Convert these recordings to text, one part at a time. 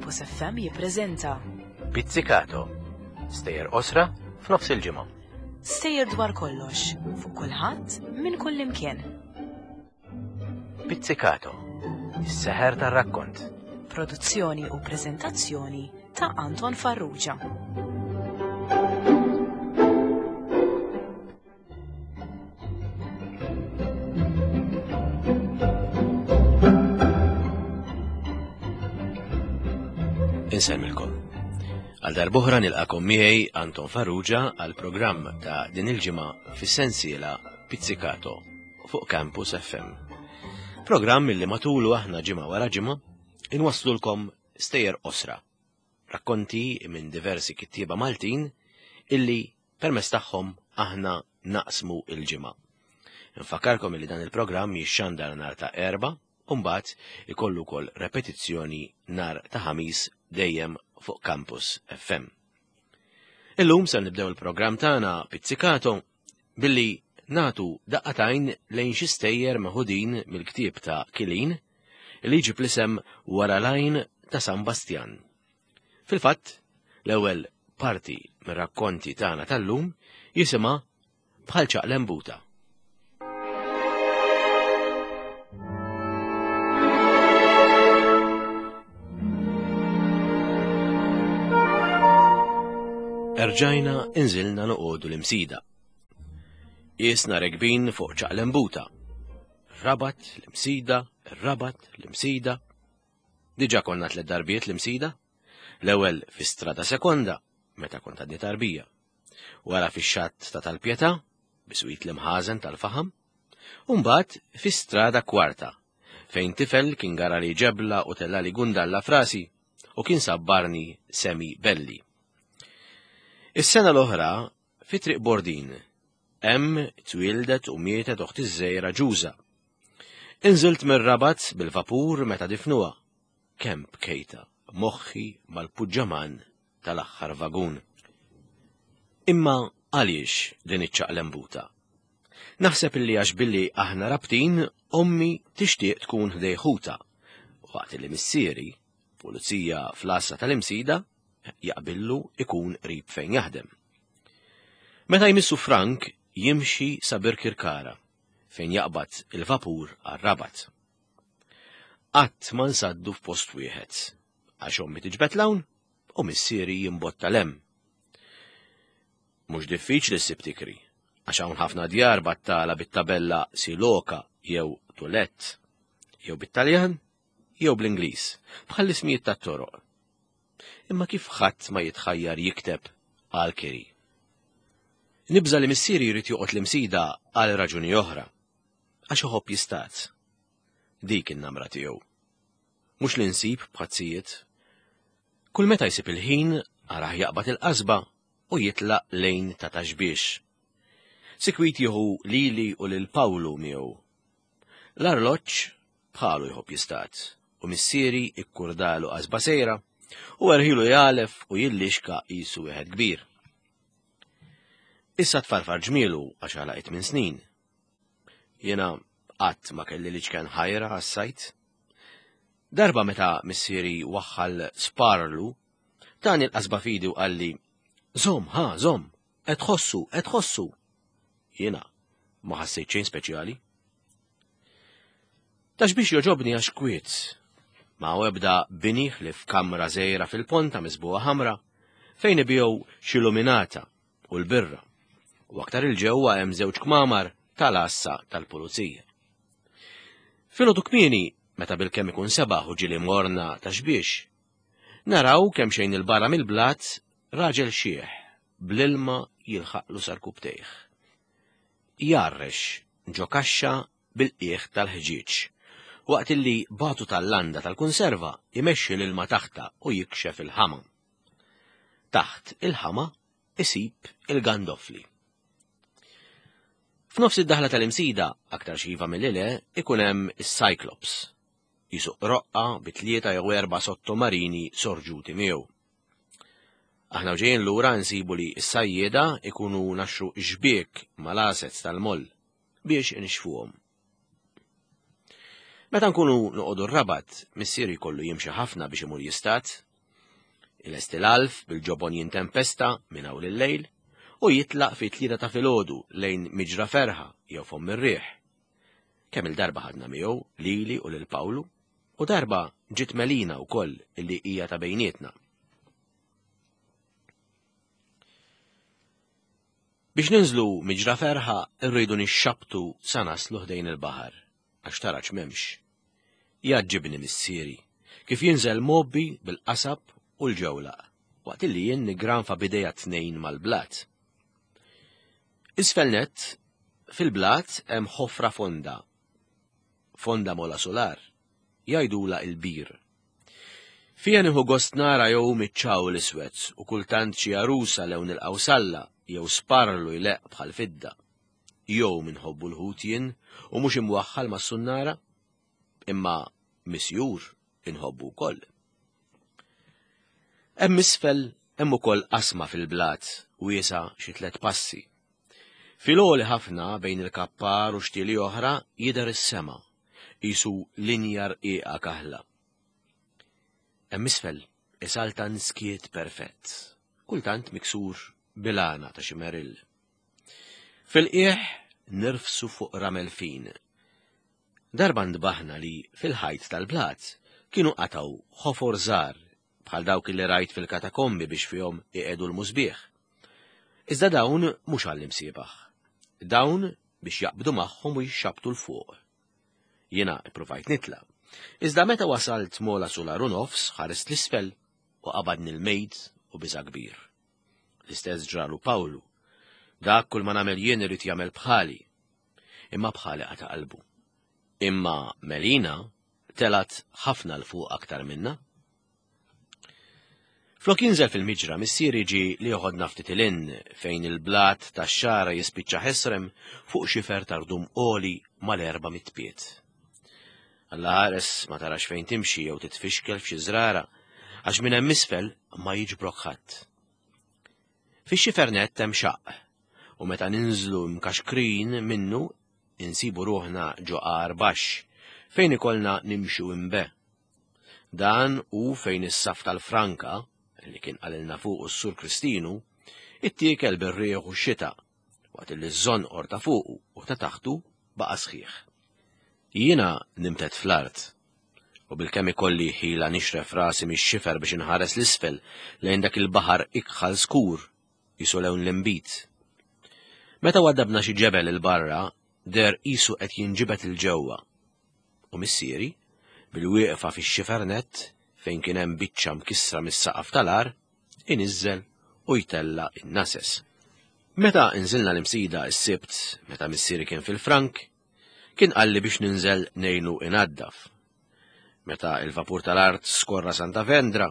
Campus FM jippreżenta Pizzicato. Stejjer qosra f'nofs il-ġimgħa. Stejjer dwar kollox, fuq kulħadd, minn kull imkien. Pizzicato. Is-seħer tar-rakkont. Produzzjoni u preżentazzjoni ta' Anton Farrugia. Insemmilkom. Għal darbohra nilqakom miegħi Anton Farrugia għal programm ta' din il-ġimgħa fis-sensiela Pizzicato fuq Campus FM. Programm li matulu aħna ġimgħa wara ġimgħa inwasslulkom stejjer qosra, rakkonti minn diversi kittieba Maltin illi permezz tagħhom aħna naqsmu il-ġimgħa. Nfakkarkom illi dan il-programm jixxandar nhar ta' Erbgħa u mbagħad ikollu wkoll repetizzjoni nhar ta' Ħamis dejjem fuq Campus FM. Illum se nibdew il-programm tagħna Pizzicato billi nagħtu daqqa t'għajn lejn xi stejjer meħudin mill-ktieb ta' Kilin li jġib l-isem Wara l-Għajn ta' San Bastjan. Fil-fatt, l-ewwel parti mir-rakkonti tagħna tal-lum jisimha Bħal ċaqlembuta. Erġajna inżilna noqogħdu l-imsida. Isna regbin fuq ċaqlembuta. Rabat, l-imsida, rabat, l-imsida. Diġa konna tlet darbiet l-imsida. L-ewwel fi strada sekonda, meta kont għadni tarbija. Wara fix-xatt ta' tal-Pietà, biswit l-imħażen tal-faħam, u mbagħad fi strada kwarta, fejn tifel kien garali ġebla u tellali gundalla frasi u kien sabbarni semi belli. Is-sena l-oħra fi Triq Bordin, hemm twieldet u mietet oħti ż-żgħira Ġuża. Inżilt mir-Rabat bil-vapur meta difnuha. Kemm bkejta moħħi mal-puġġaman tal-aħħar vagun. Imma għaliex din iċ-ċaqlembuta? Naħseb illi għax billi aħna rabtin, ommi tixtieq tkun ħdej ħutha, waqt li missieri, pulizija fl-għassa tal-Imsida, jaqbillu ikun qrib fejn jaħdem. Meta jmissu Frank jimxi sa Birkirkara fejn jaqbad il-vapur għar-Rabat. Qatt ma nsaddu f'post wieħed, għax ommi tiġbed 'l hawn u missieri jimbotta 'l hemm. Mhux diffiċli ssib tikri, għax hawn ħafna djar battala bit-tabella Siloka jew Tulet, jew bit-Taljan jew bl-Ingliż, bħall-ismijiet tat-toroq. Imma kif ħadd ma jitħajjar jikteb għal kiri? Nibża' li missieri jrid joqgħod l-Imsida għal raġuni oħra, għax iħobb jistad. Dik in-namra tiegħu. Mhux li nsib bħazzijiet. Kull meta jsib il-ħin, arah jaqbad il-qasba u jitlaq lejn ta' taxbiex. Sikwit jieħu lili u lil Pawlu miegħu. L-arloġġ bħalu jħobb jistad u missieri ikkurdalu qasba sejra u erħilu jagħlef u jillixka qisu wieħed kbir. Issa tfarfar ġmielu għax għalaq minn snin. Jiena qatt ma kelli liċken ħajra għas-sajt. Darba meta missieri waħħal sparlu, tani l-qasba fidi u qalli, Żomm, ha, żomm, qed tħossu, qed tħossu. Jiena ma ħassejt xejn speċjali. Tax biex joġobni għax kwiet. Ma ebda bini ħlief kamra żgħira fil-ponta miżbugħa ħamra fejn ibigħu xi luminata u l-birra. U aktar il-ġewwa hemm żewġ kmamar tal-għassa tal-pulizija. Filgħodu kmieni, meta bilkemm ikun sebaħ u ġieli morna ta' xbiex, naraw kemm xejn il-barra mill-blat raġel xiħ bl-ilma jilħaqlu sarkubtejh. Jgħarrex ġo kaxxa bil-qiegħ tal-ħġieġ, waqt illi batu tal-landa tal-kunserva jmexxi l-ilma taħtha u jikxef il-ħama. Taħt il-ħama isib il-gandofli. F'nofs id-daħla tal-imsida, aktar xiva milli le, ikun hemm is-Cyclops. Jisuq roqqa bi tlieta jew erba' sottomarini sorġuti miegħu. Aħna u ġejjin lura nsibu li s-sajjieda ikunu naxxu xbiek mal-asets tal-moll biex inixfuhom. Meta nkunu noqogħdu r-Rabat, missieri jkollu jimxi ħafna biex imur jistad. Ilesti l-għalf bil-ġobon jintempesta minn hawn lil-lejl u jitlaq fi tlieta ta' filgħodu lejn Miġra Ferħa jew Fomm ir-Riħ. Kemm il-darba ħadna miegħu lili u lil Pawlu u darba ġiet Melina wkoll illi hija ta' bejnietna. Biex ninżlu Miġra Ferħa rridu nixxabtu sa naslu ħdejn il-baħar, għax taraġ m'hemmx. Jgħaġġibni missieri, kif jinżel mgħobbi bil-qasab u l-ġewlaq, waqt illi jien niggranfa b'idejja t-tnejn mal-blat. Isfel nett, fil-blat hemm ħofra fonda, fonda mola sular, jgħidulha il-bir. Fiha nieħu gost nara jew miċ-ċawl iswed u kultant xi għarusa lewn il-qawsalla jew sparlu jleqq bħal fidda. Jew minħobbu l-ħut jien u mhux imwaħħal mas-sunnara? Imma misjur inħobbu wkoll. Hemm isfel hemm ukoll qasma fil-blat wiesgħa xi tliet passi. Fil-għoli ħafna bejn il-kappar u xtieli oħra jidher is-sema, qisu linja rqiqa kaħla. Hemm isfel isaltan skiet perfett, kultant miksur bil-għana ta' xi merill. Fil-qiegħ nirfsu fuq ramel fin. Darba ntbaħna li fil-ħajt tal-blat kienu qatgħu ħofor żgħar bħal dawk li rajt fil-katakombi biex fihom iqiegħdu l-musbieħ. Iżda dawn mhux għall-imsiebaħ. Dawn biex jaqbdu magħhom u jixxabtu 'l fuq. Jiena ippruvajt nitla'. Iżda meta wasalt mola sular u nofs ħarist l-isfel u qabadni l-mejt u biża' kbir. L-istess ġralu Pawlu. Dak kull ma nagħmel jien irid jagħmel bħali. Imma bħali qata' qalbu. Imma Melina telgħet ħafna 'l fuq aktar minna. Flok jinżel fil-miġra, missieri ġie li joħodna ftit 'il hinn fejn il-blat tax-xagħra jispiċċa ħesrem fuq xifer ta' rdum għoli mal-400 pied. Alla ħares ma tarax fejn timxi jew titfixkel f'xi żrara, għax minn hemm isfel ma jiġbrok ħadd. Fix-xifer nett hemm xaqq, u meta ninżlu mkaxkrin minnu insibu ruħna ġo għar baxx, fejn ikollna nimxu imbe. Dan hu fejn is-saff tal-franka, li kien qalilna fuqu s-Sur Kristinu, ittiekel bir-riħ u x-xita, waqt li ż-żonqor ta' fuqu u ta' taħtu baqa' sħiħ. Jiena nimtet fl-art, u bilkemm ikolli ħila nixref rasi mix-xifer biex inħares 'l isfel lejn dak il-baħar ikħal skur, qisu lewn l-inbid. Meta waddabna xi ġebel 'il barra, deher qisu qed jinġibed 'il ġewwa, U missieri, bil-wieqfa fix-xifer nett fejn kien hemm biċċa mkissra mis-saqaf tal-għar, iniżżel u jtella' n-nases. Meta nżilna l-Imsida s-Sibt, meta missieri kien fil-Frank, kien qalli biex ninżel ngħinu inaddaf. Meta il-vapur tal-art skorra Santa Vendra,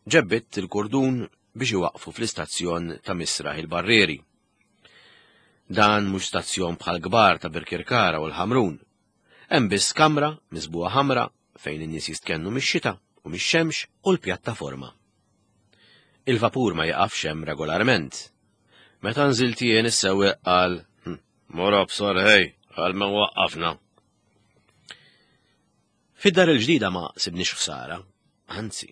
ġebbidt il-kurdun biex iwaqqfu fl-istazzjon ta' Misraħ il-Barrieri. Dan mhux stazzjon bħal kbar ta' Birkirkara u l-Ħamrun. Hemm biss kamra miżbugħa ħamra fejn in-nies jistkennu mix-xita u mix-xemx u l-pjattaforma. Il-vapur ma jiqafx hemm regolarment. Meta nżilt jien is-sewwieq qal, hm, Mor absor ħej, għal ma waqqafna. Fid-dar il-ġdida ma sibniex ħsara, anzi,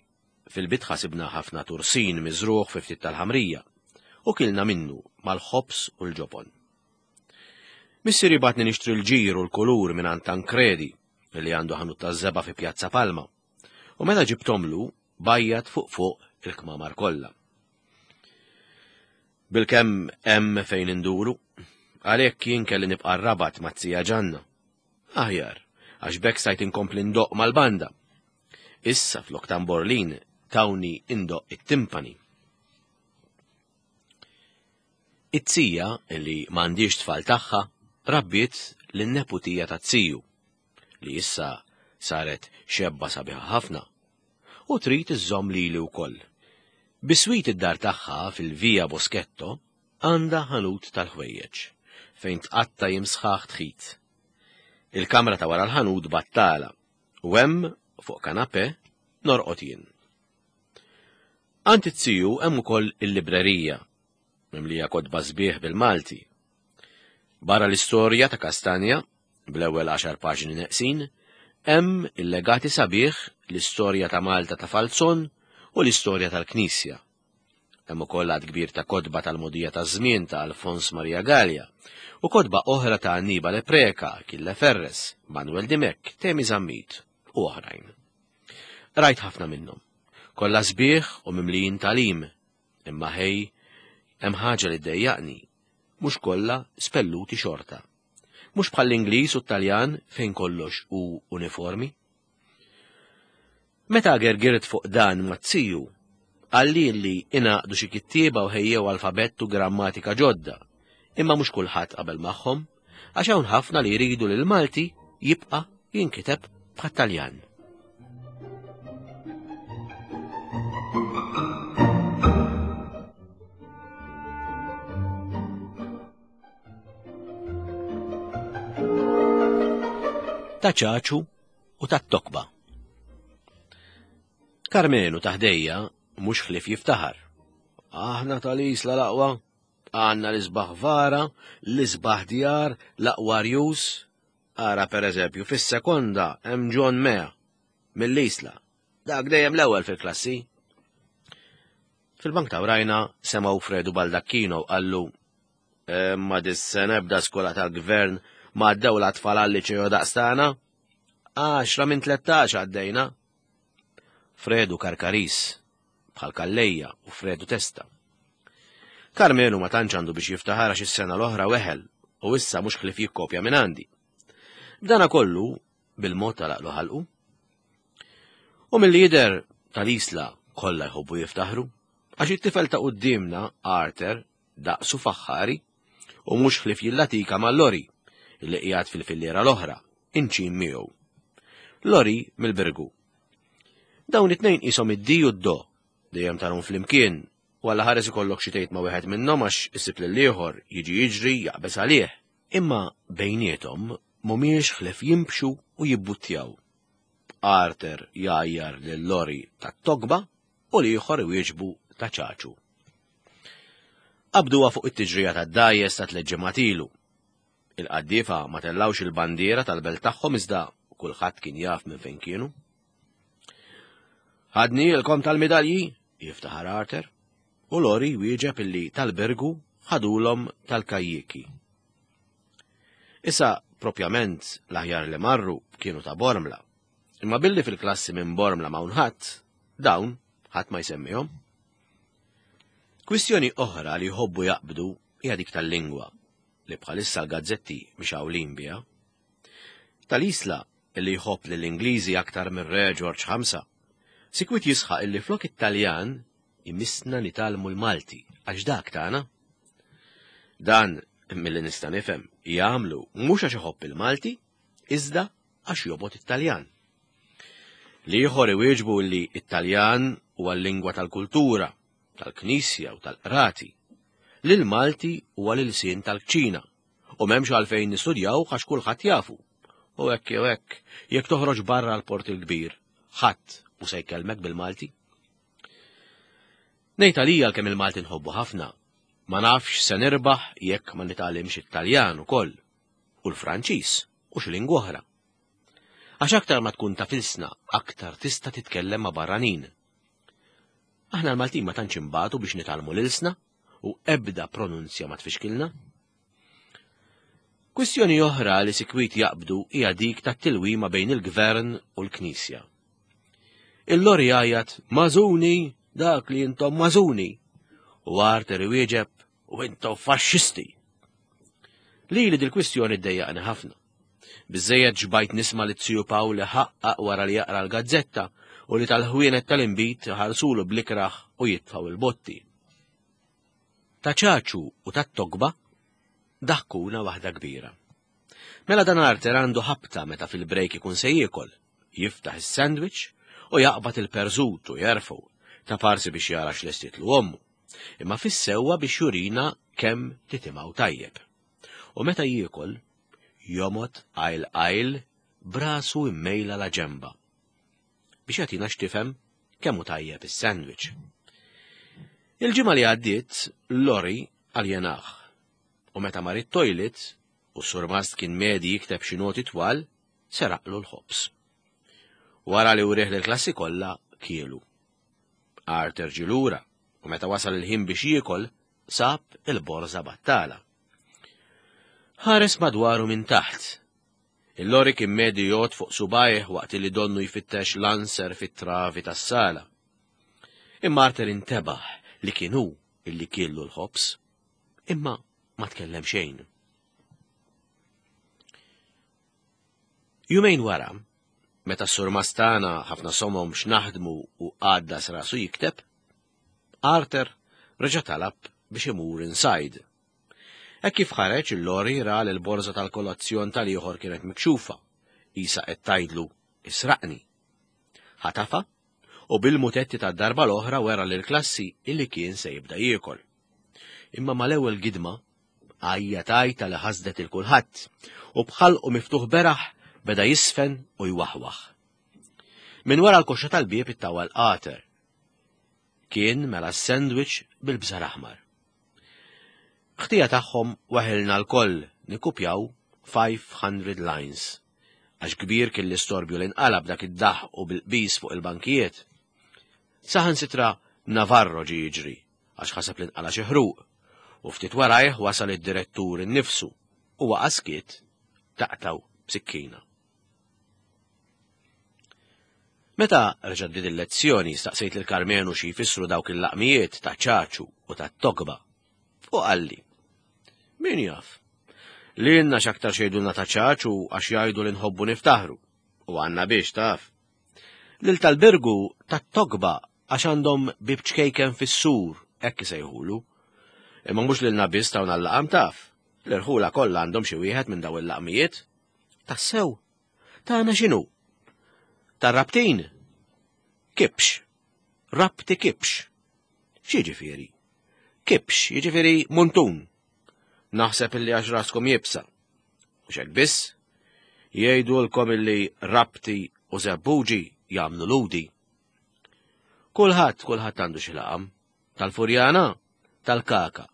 fil-bitħa sibna ħafna tursin miżrugħ fi ftit tal-ħamrija u kilna minnu mal-ħobż u l-ġobon. Missieri bagħatni nixtri l-ġir u l-kulur mingħand Tancredi li għandu ħanut taż-żebgħa fi Pjazza Palma. U meta ġibtomlu, bajjat fuq fuq il-kmamar kollha. Bilkemm hemm fejn induru, għalhekk jien kelli nibqa' r-Rabat mat-tija Ġanna. Aħjar, għax b'hekk stajt inkompli ndoqq mal-banda. Issa flok tamborlin tawni indoqq it-timpani. It-tija, li m'għandhiex tfal tagħha, rabbiet lin-neputija taz-ziju, li issa saret xebba sabiħa ħafna, u trid iżżomm lili wkoll. Biswit id-dar tagħha fil-Via Boschetto għandha ħanut tal-ħwejjeġ, fejn tqatta' jiem sħaħ tħit. Il-kamra ta' wara l-ħanut battala, u hemm, fuq kanapè, norqod jien. Għand it-ziju hemm ukoll il-librerija, mimlija kotba sbieħ bil-Malti. Barra l-istorja ta' Kastanja, bl-ewwel għaxar paġni neqsin, hemm il-legati sabiħ l-istorja ta' Malta ta' Falzon u l-istorja tal-Knisja. Hemm ukoll għadd kbir ta' kotba tal-mogħdija taż-żmien ta' Alfons Maria Galea u kotba oħra ta' Annibale Preca, Achille Ferres, Manuel Dimech, Temi Zammit u oħrajn. Rajt ħafna minnhom. Kollha sbieħ u mimlijin tagħlim, imma ħej, hemm ħaġa li ddejjaqni, mhux kollha spelluti xorta. Mhux bħall-Ingliż u t-Taljan fejn kollox hu uniformi. Meta gergirt fuq dan mat-tiju, qalli li ingħaqdu xi kittieba u ħejjew alfabett u grammatika ġodda, imma mhux kulħadd qabel magħhom, għax hawn ħafna li jridu li l-Malti jibqa' jinkiteb bħat-Taljan. Ta' ċaċu u tat-tokba. Karmenu ta' ħdejja mhux ħlief jiftaħar. Aħna tal-Isla l-aqwa, għandna l-isbaħ vara, l-isbaħ djar, l-aqwa rjus. Ara per eżempju, fis-sekonda hemm John Mea mill-Isla. Dak dejjem l-ewwel fil-klassi. Fil-bank ta' wrajna semgħu Fredu Baldacchino qallu Imma dis-sena ebda skola tal-gvern ma għaddew l-atfal għal-liċeo daqstana. Għaxra minn 13 għaddejna. Fredu Karkaris, bħal Kallejja u Fredu Testa. Karmenu ma tantx għandu biex jiftaħar għax is-sena l-oħra weħel u issa mhux ħlief jikkopja minn għandi. B'dana kollu, bil-mod talaqlu ħalqu. U mill jidher tal-Isla kollha jħobbu jiftaħru, għax it-tifel ta' quddiemna, Arthur, daqsu faħħari u mhux ħlief jillatika ma' Lori li qiegħed fil-filliera l-oħra, inċin miegħu. Lori mill-Birgu. Dawn it-tnejn qishom id-di u d-do, dejjem tarhom flimkien, u alla ħares ikollok xi tgħid ma' wieħed minnhom għax isib lil ieħor jiġi jiġri jaqbeż għalih. Imma bejniethom mhumiex ħlief jimbxu u jibbuttjaw. Arthur jgħajjar lil Lori tat-tokba u l-ieħor iwieġbu ta' ċaċu. Qabduha fuq it-tiġrija tad-dgħajjes ta' tliet ġimgħat ilu. Il-qaddiefa ma tellgħux il-bandiera tal-belt tagħhom iżda kulħadd kien jaf minn fejn kienu. Ħadnielkom tal-midalji, jiftaħar Arthur, u Lori wieġeb illi tal-Birgu ħadulhom tal-kajjiki. Issa, propjament, l-aħjar li marru kienu ta' Bormla. Imma billi fil-klassi minn Bormla m'hawn ħadd, dawn ħadd ma jsemmihom. Kwistjoni oħra li jħobbu jaqbdu hija dik tal-lingwa, li bħalissa l-gazzetti mixgħulin biha. Tal-Isla li jħobb lill-Ingliżi aktar mir-Re Ġorġ Ħamsa, sikwit jisħaq illi flok it-Taljan imissna nitgħallmu l-Malti għax dak tagħna. Dan, milli nista' nifhem, jagħmlu mhux għax iħobb il-Malti, iżda għax jobgħod it-Taljan. L-ieħor iwieġbu li t-Taljan huwa l-lingwa tal-kultura, tal-Knisja u tal-qrati, li l-Malti huwa l-ilsien tal-kċina u m'hemmx għalfejn nistudjaw għax kulħadd jafu. U hekk jew hekk, jekk toħroġ barra l-Port il-Kbir, ħadd mhu se jkellmek bil-Malti. Ngħid għalija kemm il-Malti nħobbu ħafna, ma nafx se nirbaħ jekk ma nitgħallimx it-Taljan ukoll, u l-Franċiż u xi lingwa oħra. Għax aktar ma tkun taf ilsna, aktar tista' titkellem ma' barranin. Aħna l-Maltin ma tantx inbatu biex nitgħallmu l-ilsna u ebda pronunzja ma tfixkilna. Kwistjoni oħra li sikwit jaqbdu hija dik tat-tilwima bejn il-gvern u l-Knisja. Il-lori jgħajjat mażuni dak li intom mażuni u Arthur iwieġeb u intom faxxisti. Lili dil-kwistjoni ddejjaqni ħafna. Biżejjed ġbajt nisma' li Ziju Pawl iħaqqaq wara li jaqra l-gazzetta u li tal-ħwienet tal-inbid iħarsulu bl-ikrah u jitfgħu il-botti. Ta' ċaċu u tat-tokba daħkuna waħda kbira. Mela dan Arthur għandu ħabta meta fil-brejk ikun se jiekol, jiftaħ is-sandwich u jaqbad il-perżut u jerfgħu, ta' parsi biex jara x'lestietlu ommu, imma fis-sewwa biex jurina kemm titimgħu tajjeb. U meta jiekol, jomgħod qajl qajl b'rasu immejla la ġenba. Biex jagħtina x'tifhem kemm hu tajjeb is-sandwich. Il-ġimgħa li għaddiet, Lori aljenah. U meta mar it-toilet u s-surmast kien medi jikteb xi noti twal, seraqlu l-ħobż. Wara li urih lill-klassi kollha kielu. Arthur ġie lura u meta wasal il-ħin biex jiekol, sab il-borża battala. Ħares madwaru minn taħt. Il-lori kien medi jgħod fuq subajh waqt li donnu jfittex lanser fit-travi tas-sala. Imma Arthur intebaħ li kien hu illi kiellu l-ħobż. Imma ma tkellem xejn. Jumejn wara, meta s-surmast tagħna ħafna somom x'naħdmu u għaddas rasu jikteb, Arthur reġa' talab biex imur inside. Hekk kif ħareġ il-lori ra li l-borża tal-kolazzjon tal-ieħor kienet mikxufa, qisha qed tgħidlu israqni. Ħatafa u bil-mutetti tad-darba l-oħra wera lill-klassi illi kien se jibda jiekol. Imma mal-ewwel gidma għajjat għajta li ħasdet il kulħadd u b'ħalqu miftuħ beraħ beda jisfen u jwaħwaħ. Minn wara l-koxxa tal-bieb ittawal qater. Kien mela s-sandwich bil-bżar aħmar. Ħtija tagħhom waħilna lkoll nikkupjaw 500 lines. Għax kbir kien l-istorbju li nqala b'dak id-daħq u bil-qbiż fuq il-bankijiet. Saħansitra Navarro ġie jiġri għax ħaseb li nqala xi ħruq u ftit warajh wasal id-direttur innifsu u waqa' skiet taqtgħu b'sikkina. Meta reġa' bdiet il-lezzjoni staqsejt lil Karmenu xi jfissru dawk il-laqmijiet ta' ċaċu u ta' togba. U qalli, min jaf? Lilna x'aktar xejdulna ta' ċaċu għax jgħidu li nħobbu niftaħru. U għandna biex taf. Lil tal-Birgu tat-togba għax għandhom bieb ċkejken fis-sur, hekk isejħulu. Imma mhux lilna biss tawna l-laqam taf. L-irħula kollha għandhom xi wieħed minn daw il-laqmijiet. Tassew? Tagħna x'inhu? Tar-Rabtin? Kibx. Rabti kibx. X'jiġifieri? Kibx, jiġifieri muntun. Naħseb illi għax raskom jibsa. Mhux hekk biss, jgħidulkom illi Rabti u Żebbuġi jagħmlu ludi. Kulħadd, kulħadd għandu xi laqam. Tal-Furjana, tal-Kaka,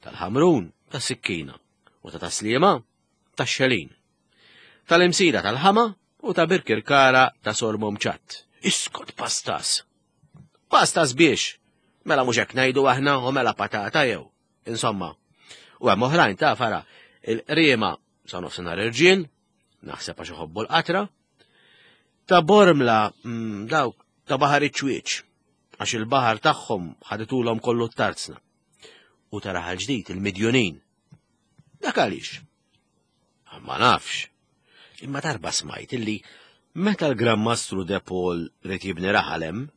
tal-Ħamrun, tas-Sikkina u ta' Taslima, tax-Xelin. Tal-Imsida tal-Ħama u ta' Birkirkara ta' Sormom Ċatt. Iskot pastas! Pastas biex! Mela mhux hekk ngħidu aħna u mela patata jew. Insomma, u hemm oħrajn ta' fara il-qriema sa nofsinhar irġiel, naħseb għax iħobbu l-qatra, ta' Bormla mm, dawk ta' baħar iċ-ċwieċ, għax il-baħar tagħhom ħaditulhom kollu t-tarzna. U ta' raħal ġdid il-midjunin. Dak għaliex? Ah, ma nafx. Imma darba smajt illi meta l-Gran Mastru De Paul ried jibni raħal hemm,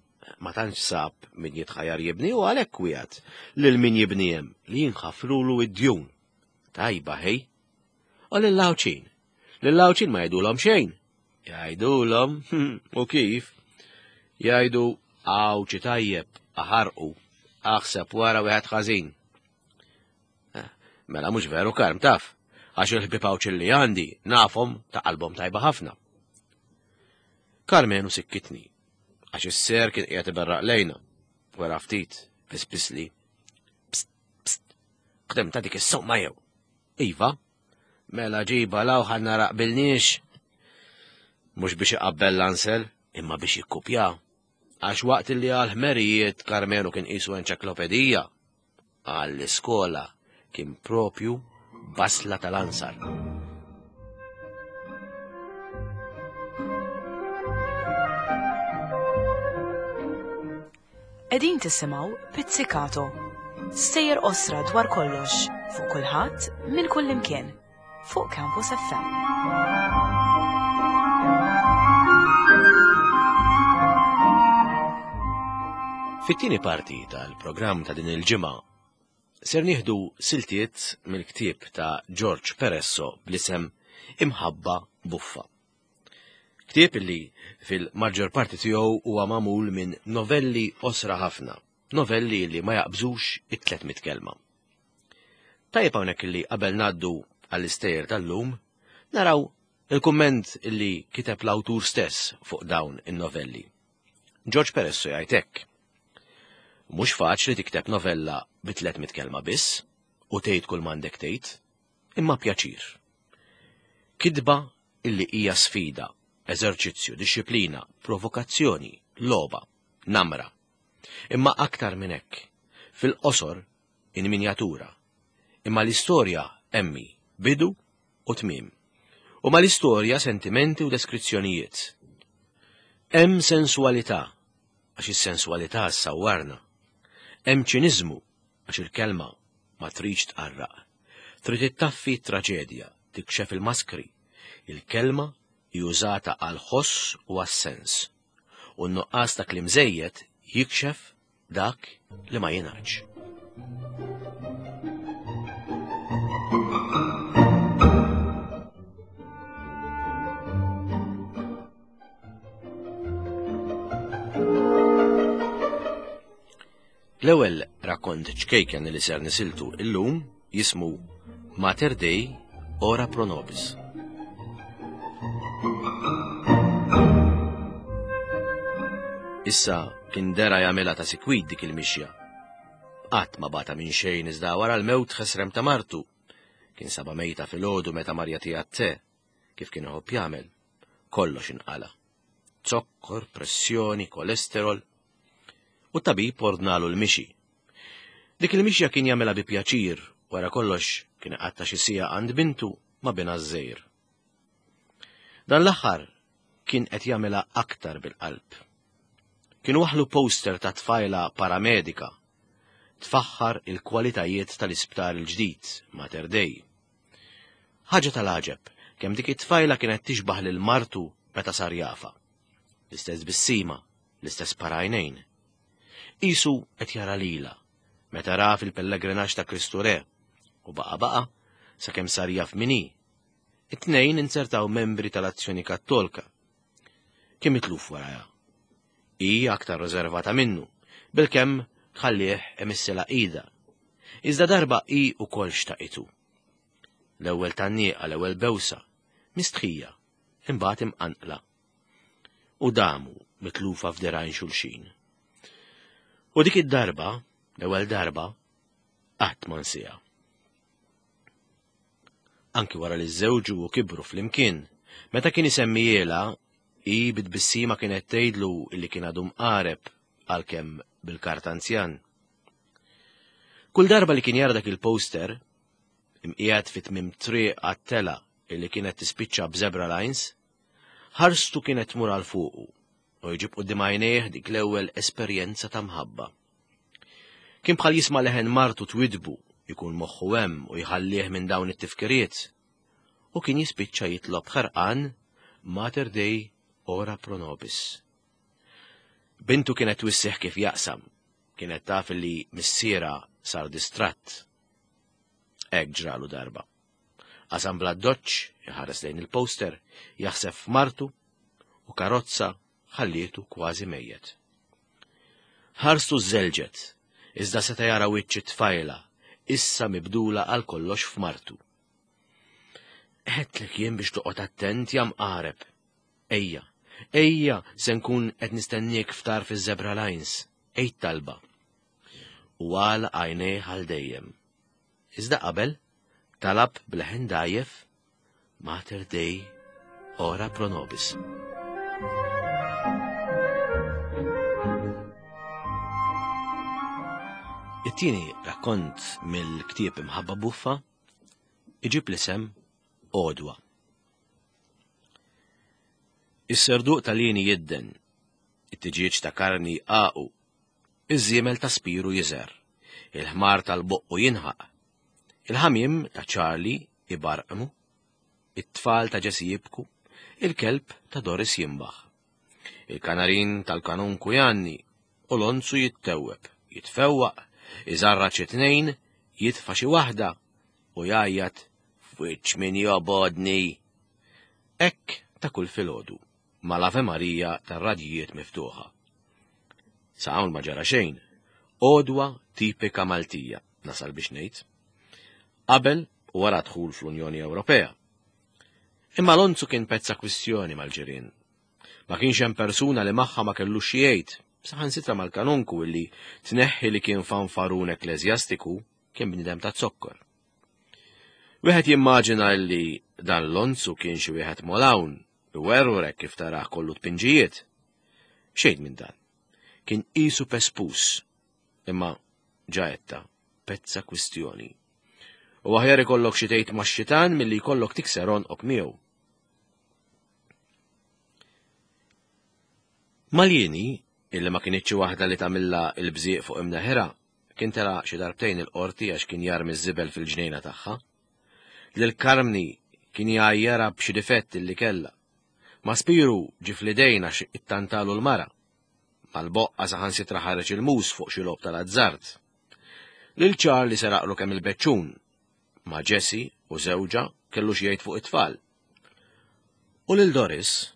ma tantx sab min jitħajar jibni u għalhekk wiegħed lil min jibni hemm li jinħafrulu id-djun. Tajba ħej. U lil Għawdxin. Lil Għawdxin ma jgħidulhom xejn. Jgħidulhom, u kif? Jgħidu Għawdxi tajjeb, aħarqu, aħseb wara wieħed ħażin. Eh, mela mhux veru karm taf, għax il-ħbieb Għawdxin li għandi nafhom ta' qalbhom tajba ħafna. Karmenu sikkitni, għax is-ser kien qiegħed iberraq lejna, wara ftit, pispisli. Psst, psst, qdem ta' dik is-somma jew. Iva, mela ġiba law ħa nara qbilniex. Mhux biex iqabbel l-ansel, imma biex jikkupja. Għax waqt li għal ħmerijiet Karmenu kien qisu enċeklopedija, għall-iskola kien propju basla tal-ansar. Qegħdin tisimgħu Pizzicato, stejjer qosra dwar kollox, fuq kulħadd, minn kullimkien, fuq Campus FM. Fit-tieni parti tal-programm ta' din il-ġimgħa ser nieħdu siltiet mill-ktieb ta' George Peresso bl-isem Imħabba Buffa. Ktieb li fil-maġġor parti tiegħu huwa magħmul minn novelli qosra ħafna, novelli li ma jaqbżux it-300 kelma. Tajjeb hawnhekk li qabel ngħaddu għall-istejjer tal-lum, naraw il-kumment li kiteb l-awtur stess fuq dawn in-novelli. George Peresso jgħid hekk. Mhux faċli tikteb novella bi 300 kelma biss u tgħid kull m'għandek tgħid, imma pjaċir. Kitba illi hija sfida, eżerċizzju, dixxiplina, provokazzjoni, logħba, namra. Imma aktar minn hekk, fil-qosor in minjatura. Imma l-istorja emmi, bidu u tmiem. U mal-istorja sentimenti u deskrizzjonijiet. Hemm sensualità, għax is-sensualità ssawwarna. Hemm ċiniżmu, għax il-kelma ma tridx tqarraq. Trid ittaffi t-traġedja, tikxef il-maskri. Il-kelma hi użata għall-ħoss u għas-sens. U n-nuqqas ta' kliem żejjed jikxef dak li ma jingħadx. L-ewwel rakkont ċkejken li ser nisiltu illum jismu Mater Dei Ora Pro Nobis. Issa kien dera jagħmilha ta' sikwit dik il-mixja. Qatt ma bata minn xejn iżda wara l-mewt ħesrem ta' martu. Kien saba mejta filgħodu meta Marja tiegħat te, kif kien iħobb jagħmel. Kollox inqala. Zokkor, pressjoni, kolesterol. U t-tabib ordnalu l-mixi. Dik il-mixja kien jagħmilha bi pjaċir, wara kollox kien iqatta' xi siegħa għand bintu ma' binha ż-żgħir. Dan l-aħħar kien qed jagħmilha aktar bil-qalb. Kien waħlu poster ta' tfajla paramedika tfaħħar il-kwalitajiet tal-isptar il-ġdid Mater Dei. Ħaġa tal-għaġeb kemm dik it-tfajla kienet tixbaħ lil martu meta sar jafa. L-istess bissima, l-istess parajnejn. Qisu qed jara lilha meta ra fil-pellegrinaġġ ta' Kristu Re u baqa' baqa' sakemm sar jaf min hi. It-tnejn inzertaw membri tal-Azzjoni Kattolka. Kien mitluf warajha. Hi aktar riservata minnu, bilkemm tħallih imissilha idha. Iżda darba hi wkoll xtaqitu. L-ewwel tgħanniqa, l-ewwel bewsa, mistħija, imbagħad imqanqla. U damu mitlufa f'dirgħajn xulxin. U dik id-darba, l-ewwel darba, qatt ma nsiha. Anki wara li żewġu u kibru flimkien, meta kien isemmijielha, hi bit-tbissima kienet tgħidlu li kien għadu mqareb għalkemm bil-kartanzjan. Kull darba li kien jara dak il-poster, imqiegħed fi tmiem triq għat-tela illi kienet tispiċċa b'zebra lines, Ħarstu kienet tmur għal fuqu u jġib quddiem għajnejh dik l-ewwel esperjenza ta' mħabba. Kien bħal jisma' leħen martu twidbu, jkun moħħu hemm u jħallih minn dawn it-tifkiriet. U kien jispiċċa jitlob ħerqan Mater Dei ora pro nobis. Bintu kienet twissih kif jaqsam, kienet taf li missiera sar distratt. Hekk ġralu darba. Qasam bl-addoċċ, iħares lejn il-poster, jaħseb f'martu u karozza ħallietu kważi mejjet. Ħarstu żelġet, iżda seta' jara wiċċ it-tfajla, issa mibdula għal kollox f'martu. Għedtlek jien biex toqgħod attent ja mqareb. Ejja, ejja se nkun qed nistenniek f'tarf iż-Zebra Lines, għid talba. U għalaq għajnejh għal dejjem. Iżda qabel, talab b'leħen dgħajjef, Mater Dei, ora pro nobis. It-tieni rakkont mill-ktieb Imħabba Buffa iġib l-isem Għodwa. Is-serduq tal-lieni jidden, it-tiġieġ ta' karni jqaqu, iż-żiemel ta' Spiru jiżher, il-ħmar tal-boqqu jinħaq, il-ħamiem ta' Charlie ibarqmu, it-tfal ta' Jessie jibku, il-kelb ta' Doris jinbaħ. Il-kanarin tal-kanunku jgħanni u l-onzu jittewweb, jitfewwaq, iżarra xi tnejn, jitfa' xi waħda u jgħajjat f'wiċċ min jobgħodni. Hekk ta' kull filgħodu mal-Ave Maria tar-radjijiet miftuħa. Sa hawn ma ġara xejn. Għodwa tipika Maltija, nasal biex ngħid. Qabel u wara dħul fl-Unjoni Ewropea. Imma Lonzu kien pezza kwistjoni mal-ġirien. Ma kienx hemm persuna li magħha ma kellux xi jgħid, saħansitra mal-kanonku illi tneħħi li kien fanfarun ekkleżjastiku kien bniedem ta' zokkor. Wieħed jimmaġina li dan Lonzu kien xi wieħed molawn, iwerwrek kif tarah kollu tpinġijiet. Xejn minn dan. Kien qisu pespus. Imma ġaetta, pezza kwistjoni. U aħjar ikollok xi tgħid max-xitan milli jkollok tikser għonqok miegħu. Maljini, illi ma kinitx waħda li tagħmilha il-bżieq fuq imneħirha, kien tela' xi darbtejn il-qorti għax kien jarmi ż-żibel fil-ġnejna tagħha. Lil Karmni kien jgħajjarha b'xi difett illi kellha. Ma' Spiru ġie fl-idejn għax ittantalu l-mara. Mal-boqqa saħansitra ħareġ il-mus fuq xi logħob tal-azzard. Lil Charlie seraqlu kemm il-beċċun. Ma' Jessie u żewġha kellu xi jgħid fuq it-tfal. U lil Doris,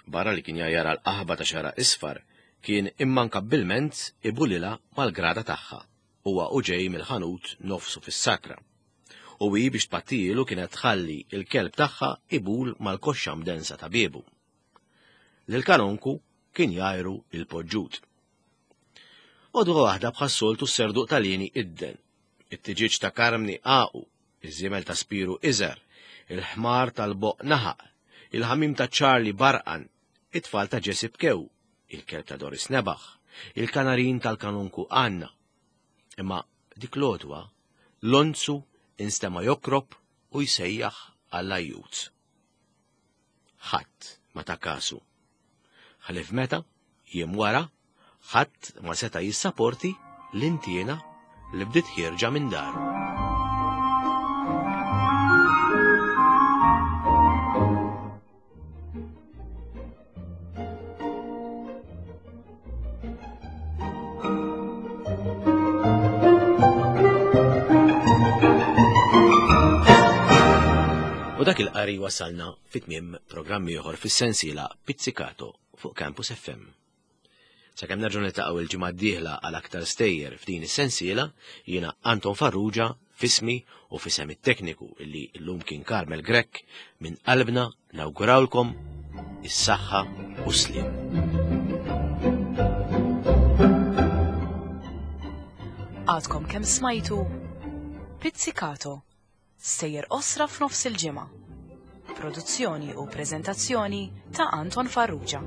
barra li kien jgħajjarha l-qaħba ta' xagħarha isfar, kien immankabbilment ibulilha mal-grada tagħha, huwa u ġej mill-ħanut nofsu fis-sakra. U hi biex tpattijielu kienet tħalli l-kelb tagħha ibul mal-koxxa mdensa ta' biebu. Lil Kanonku kien jgħajru il-poġġut. Għodwa waħda bħas-soltu s-serduq tal-Lieni idden. It-tiġieġ ta' Karmni għaqu, iż-żiemel ta' Spiru iżgħar, il-ħmar tal-boq naħaq, il-ħamiem ta' Charlie barqan, it-tfal ta' Jessie bkew, il-kelb ta' Doris nebaħ, il-kanarin tal-kanunku għanna. Imma dik l-għodwa, Lonzu instema' jokrob u jsejjaħ għall-ajjut. Ħadd ma ta kasu. Ħlief meta, jiem wara, ħadd ma seta' jissaporti l-intiena li bdiet ħierġa minn daru. U dak il-qari wasalna fit-tmiem programm ieħor fis-sensiela Pizzicato fuq Campus FM. Sakemm nerġgħu niltaqgħu il-ġimgħa d-dieħla għal aktar stejjer f'din is-sensiela, jiena Anton Farrugia fismi u fisem it-tekniku illi llum kien Carmel Grech minn qalbna nawgurawlkom is-saħħa u s-sliem. Għadkom kemm smajtu Pizzicato, stejjer qosra f'nofs il-ġimgħa. Produzzjoni u preżentazzjoni ta' Anton Farrugia.